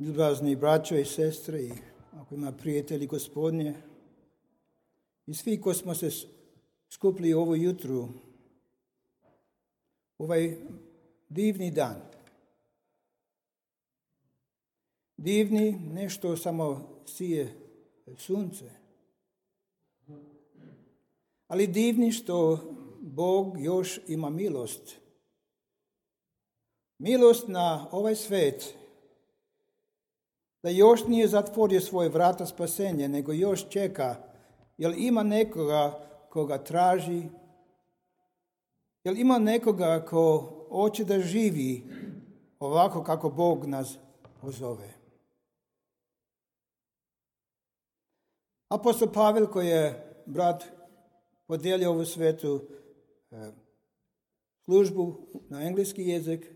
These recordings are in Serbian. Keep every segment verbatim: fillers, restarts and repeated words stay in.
Ljubazni braćo i sestre, i ako ima prijatelji Gospodnje, i svi koji smo se skupili ovo jutru, ovaj divni dan. Divni, nešto samo sije sunce, ali divni što Bog još ima milost. Milost na ovaj svijet, da još nije zatvorio svoje vrata spasenja, nego još čeka, jer ima nekoga koga traži, jer ima nekoga ko hoće da živi ovako kako Bog nas pozove. Apostol Pavel, koji je brat podijelio ovu svetu e, službu na engleski jezik,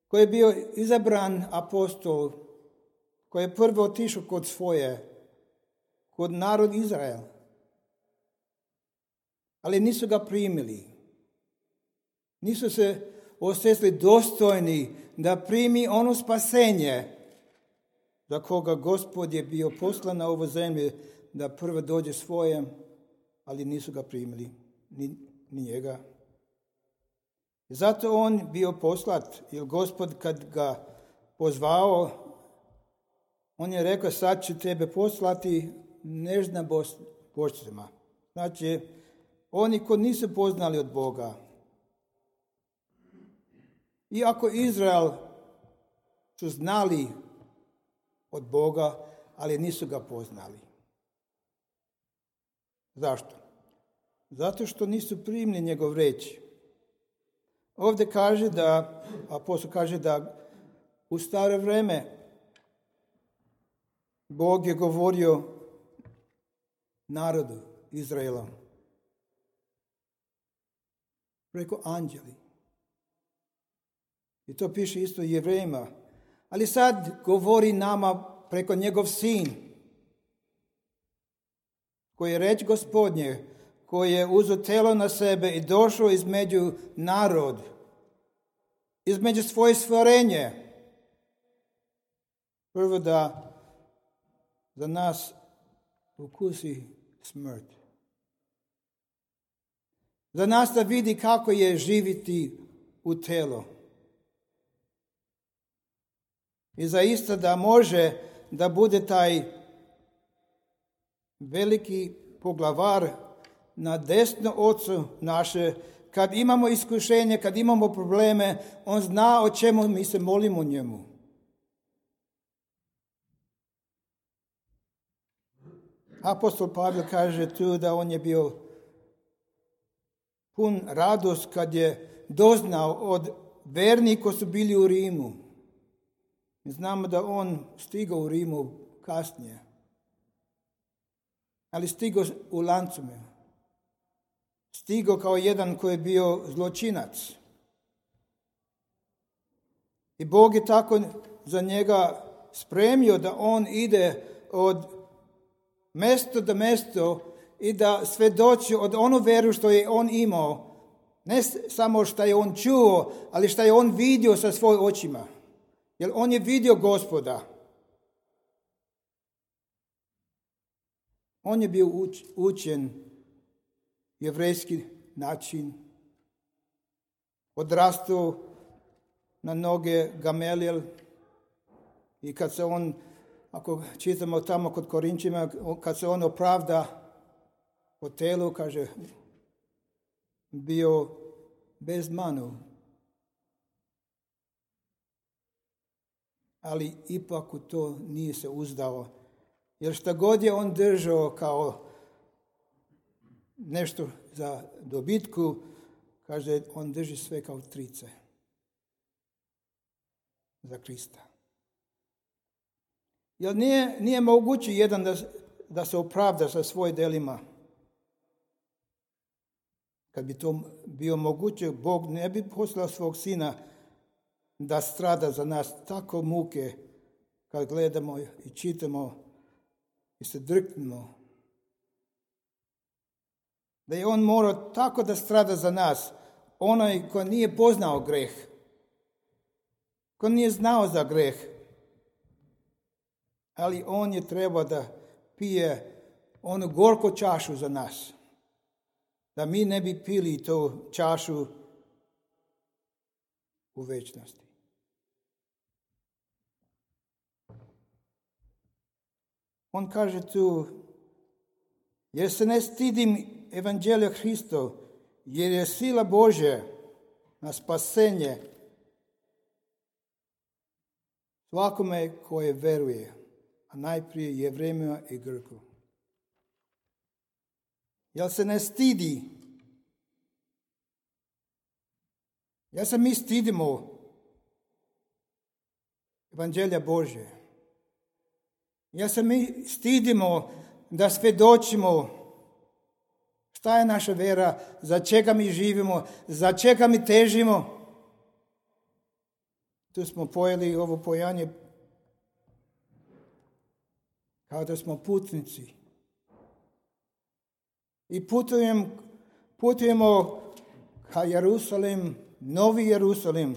koji je bio izabran apostol, koji je prvo otišao kod svoje, kod narod Izrael. Ali nisu ga primili. Nisu se osjetili dostojni da primi ono spasenje za koga Gospod je bio poslan na ovu zemlju da prvo dođe svojem, ali nisu ga primili, ni, ni njega. I zato on bio poslat, jer Gospod kad ga pozvao, on je rekao, sad ću tebe poslati nežna bošcima. Znači, oni koji nisu poznali od Boga. Iako Izrael su znali od Boga, ali nisu ga poznali. Zašto? Zato što nisu primili njegov reč. Ovdje kaže da, apostol kaže da u staro vrijeme Bog je govorio narodu Izraela preko anđeli. I to piše isto Jevrejima. Ali sad govori nama preko njegov sin, koji je reč Gospodnje, koji je uzeo telo na sebe i došao između narod, između svoje stvorenje. Prvo da za nas ukusi smrt. Za nas da vidi kako je živiti u telo. I zaista da može da bude taj veliki poglavar na desno ocu naše. Kad imamo iskušenje, kad imamo probleme, on zna o čemu mi se molimo njemu. Apostol Pavel kaže tu da on je bio pun radost kad je doznao od vernika koji su bili u Rimu. Mi znamo da on stigao u Rimu kasnije, ali stigao u lancima. Stigao kao jedan koji je bio zločinac. I Bog je tako za njega spremio da on ide od mjesto do mjesto i da svedoči od onu veru što je on imao. Ne samo što je on čuo, ali što je on vidio sa svojim očima. Jer on je vidio Gospoda. On je bio uč, učen jevrejski način. Odrastao na noge Gamaliel. I kad se on, ako čitamo tamo kod Korinčima, kad se on opravda po telu, kaže, bio bez manu. Ali ipak u to nije se uzdao. Jer šta god je on držao kao nešto za dobitku, kaže, on drži sve kao trice za Krista. Jer nije, nije moguće jedan da, da se opravda sa svojim delima. Kad bi to bio moguće, Bog ne bi poslao svog sina da strada za nas tako muke kad gledamo i čitamo i se drknemo. Da je on morao tako da strada za nas, onaj ko nije poznao greh, ko nije znao za greh, ali on je trebao da pije onu gorku čašu za nas. Da mi ne bi pili tu čašu u večnosti. On kaže tu, jer se ne stidim evanđelja Hristov, jer je sila Božja na spasenje svakome koje veruje, a najprije Jevrejima i Grku. Jel se ne stidi? Ja se mi stidimo evanđelja Božje. Ja se mi stidimo da svjedočimo šta je naša vera, za čega mi živimo, za čega mi težimo. Tu smo pojeli ovo pojanje kao da smo putnici. I putujem, putujemo ka Jerusalim, Novi Jerusalim.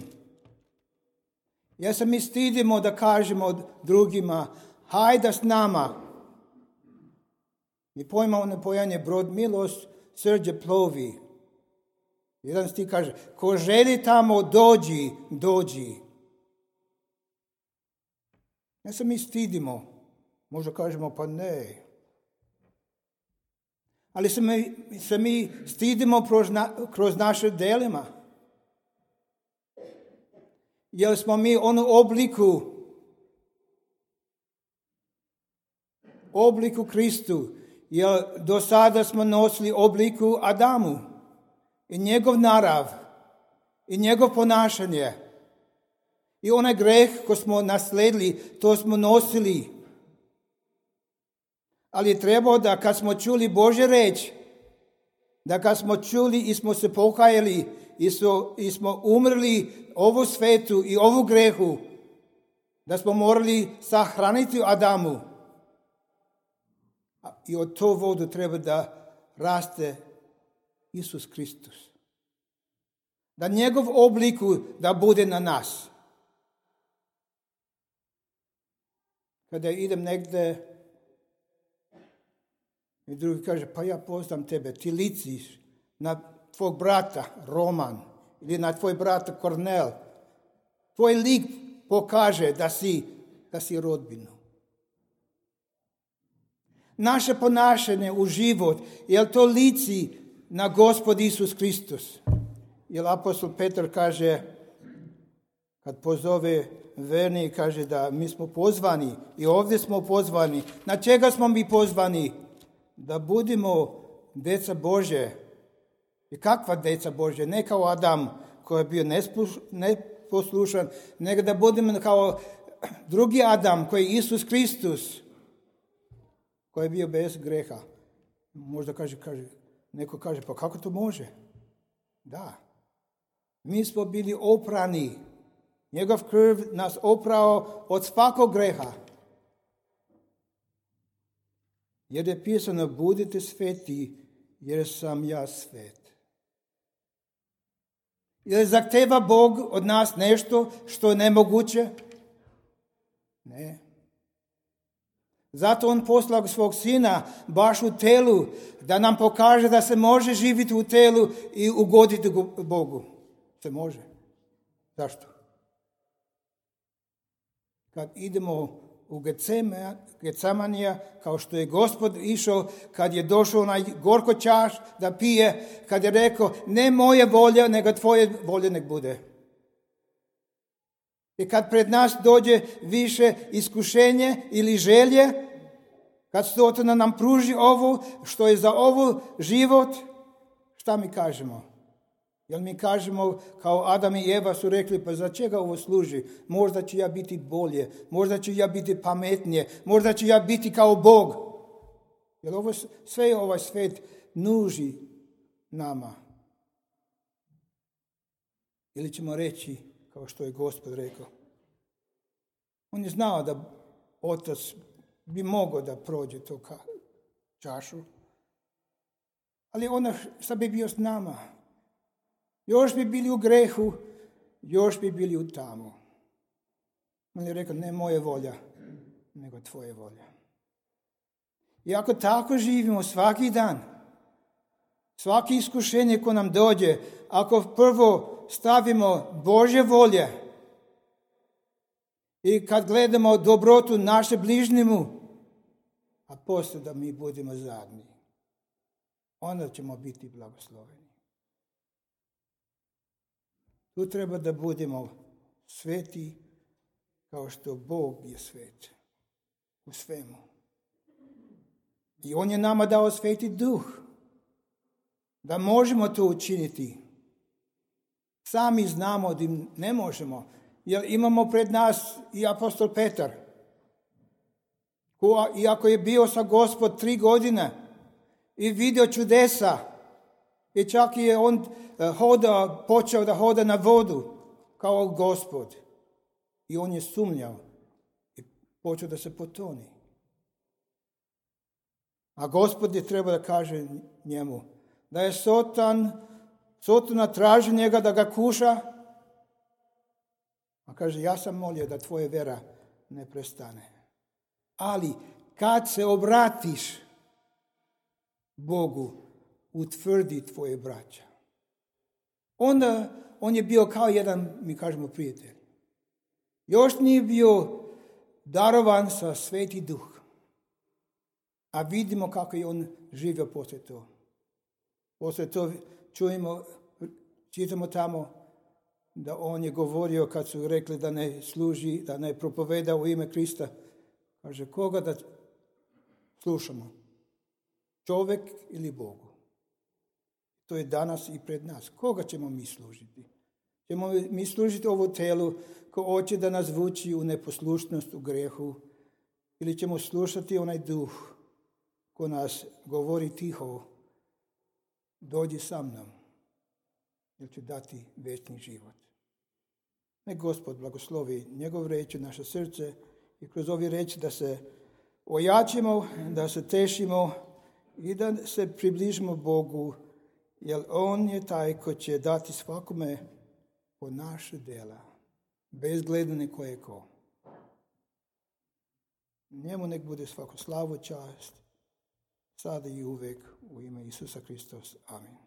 Ja se mi stidimo da kažemo drugima, hajde s nama. Mi pojma ono pojanje brod milost, srđe plovi. Jedan stih kaže, ko želi tamo dođi, dođi. Ja se mi stidimo. Možda kažemo pa ne. Ali se mi, se mi stidimo kroz, na, kroz naše delima. Jer smo mi onu obliku, obliku Kristu. Jer do sada smo nosili obliku Adamu. I njegov narav. I njegov ponašanje. I onaj greh koji smo nasledili, to smo nosili. Ali je trebao da kad smo čuli Božje reč, da kad smo čuli i smo se pokajali i, so, i smo umrli ovu svetu i ovu grehu, da smo morali sahraniti Adamu. I od to vodu treba da raste Isus Kristus. Da njegov obliku da bude na nas. Kada idem negde i drugi kaže, pa ja poznam tebe, ti liciš na tvog brata Roman ili na tvoj brata Kornel. Tvoj lik pokaže da si, da si rodbinu. Naše ponašanje u život, jel to lici na Gospod Isus Kristus? Jer apostol Petar kaže, kad pozove verni, kaže da mi smo pozvani i ovdje smo pozvani. Na čega smo mi pozvani? Da budemo deca Božje. I kakva deca Božje? Ne kao Adam koji je bio neposlušan, nego da budemo kao drugi Adam koji je Isus Kristus, koji je bio bez greha. Možda kaže, kaže, neko kaže, pa kako to može? Da. Mi smo bili oprani. Njegov krv nas oprao od svakog greha. Jer je pisano, budite sveti, jer sam ja svet. Jer zahteva Bog od nas nešto što je nemoguće? Ne. Zato on poslao svog sina baš u telu, da nam pokaže da se može živjeti u telu i ugoditi Bogu. Se može. Zašto? Kad idemo u Getsemanija, kao što je Gospod išao, kad je došao onaj gorko čaš da pije, kad je rekao, ne moje volja, nego tvoje volje nek bude. I kad pred nas dođe više iskušenje ili želje, kad Sotona nam pruži ovo, što je za ovo život, šta mi kažemo? Jel mi kažemo, kao Adam i Eva su rekli, pa za čega ovo služi? Možda ću ja biti bolje, možda ću ja biti pametnije, možda ću ja biti kao Bog. Jer ovo, sve ovaj svet nuži nama. Ili ćemo reći, kao što je Gospod rekao. On je znao da otac bi mogao da prođe to čašu. Ali ona šta bi bio s nama? Još bi bili u grehu, još bi bili u tamu. On je rekao, ne moje volja, nego tvoja volja. I ako tako živimo svaki dan, svaki iskušenje ko nam dođe, ako prvo stavimo Božje volje i kad gledamo dobrotu naše bližnjemu, a poslije da mi budemo zadnji, onda ćemo biti blagosloveni. Tu treba da budemo sveti kao što Bog je svet u svemu. I On je nama dao Sveti Duh da možemo to učiniti. Sami znamo da ne možemo, jer imamo pred nas i apostol Petar, ko iako je bio sa Gospod tri godine i vidio čudesa, i čak je on hoda, počeo da hoda na vodu kao Gospod. I on je sumnjao i počeo da se potoni. A Gospod je trebao da kaže njemu da je Sotan, Sotona traži njega da ga kuša, a kaže, ja sam molio da tvoja vera ne prestane. Ali kad se obratiš Bogu, utvrdi tvoje braća. Onda on je bio kao jedan, mi kažemo, prijatelj. Još nije bio darovan sa Sveti Duh. A vidimo kako je on živio poslije to. Poslije to čujemo, čitamo tamo da on je govorio kad su rekli da ne služi, da ne propoveda u ime Krista. Kaže, koga da slušamo? Čovjek ili Bogu? To je danas i pred nas. Koga ćemo mi služiti? Ćemo mi služiti ovo telu ko hoće da nas vuči u neposlušnost, u grehu? Ili ćemo slušati onaj duh ko nas govori tiho, dođi sa mnom, jer će dati večni život. Nek Gospod blagoslovi njegov reč u naše srce i kroz ove reči da se ojačimo, da se tešimo i da se približimo Bogu, jer On je taj ko će dati svakome po naše dela, bez gledanja ko je ko. Njemu nek bude svako slavu, čast, sada i uvek u ime Isusa Hristos. Amen.